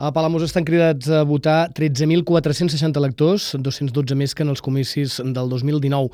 A Palamós estan cridats a votar 13.460 electors, 212 més que en els comicis del 2019.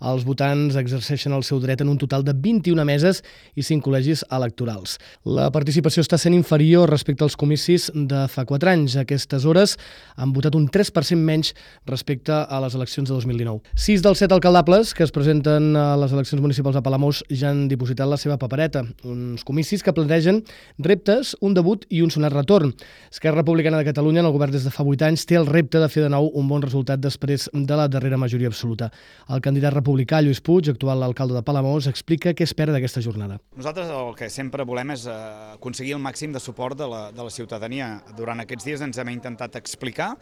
Els votants exerceixen el seu dret en un total de 21 meses i 5 col·legis electorals. La participació està sent inferior respecte als comicis de fa 4 anys. A aquestes hores han votat un 3% menys respecte a les eleccions de 2019. 6 dels 7 alcaldables que es presenten a les eleccions municipals a Palamós ja han dipositat la seva papereta. Uns comicis que plantegen reptes, un debut i un sonat retorn. Esquerra Republicana de Catalunya, en el govern des de fa 8 anys, té el repte de fer de nou un bon resultat després de la darrera majoria absoluta. El candidat republicà Lluís Puig, actual alcalde de Palamós, explica què espera d'aquesta jornada. Nosaltres el que sempre volem és aconseguir el màxim de suport de la ciutadania. Durant aquests dies ens hem intentat explicar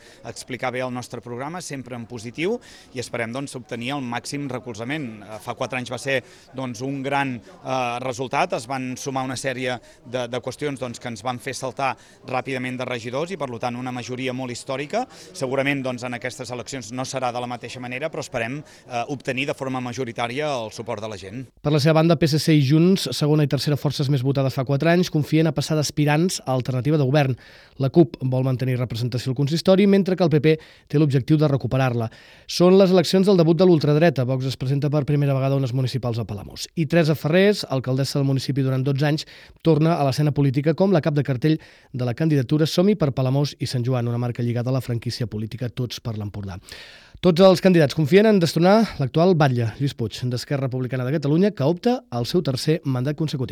bé el nostre programa, sempre en positiu, i esperem obtenir el màxim recolzament. Fa 4 anys va ser un gran resultat, es van sumar una sèrie de qüestions que ens van fer saltar ràpidament de regidors i, per tant, una majoria molt històrica. Segurament en aquestes eleccions no serà de la mateixa manera, però esperem obtenir de forma majoritària el suport de la gent. Per la seva banda, PSC i Junts, segona i tercera forces més votades fa 4 anys, confien a passar d'aspirants a alternativa de govern. La CUP vol mantenir representació al consistori, mentre que el PP té l'objectiu de recuperar-la. Són les eleccions del debut de l'ultradreta. Vox es presenta per primera vegada a unes municipals a Palamós. I Teresa Ferrés, alcaldessa del municipi durant 12 anys, torna a l'escena política com la cap de cartell de la candidatura Som-hi per Palamós i Sant Joan, una marca lligada a la franquícia política Tots per l'Empordà. Tots els candidats confien en destronar l'actual batlle, Lluís Puig, d'Esquerra Republicana de Catalunya, que opta al seu tercer mandat consecutiu.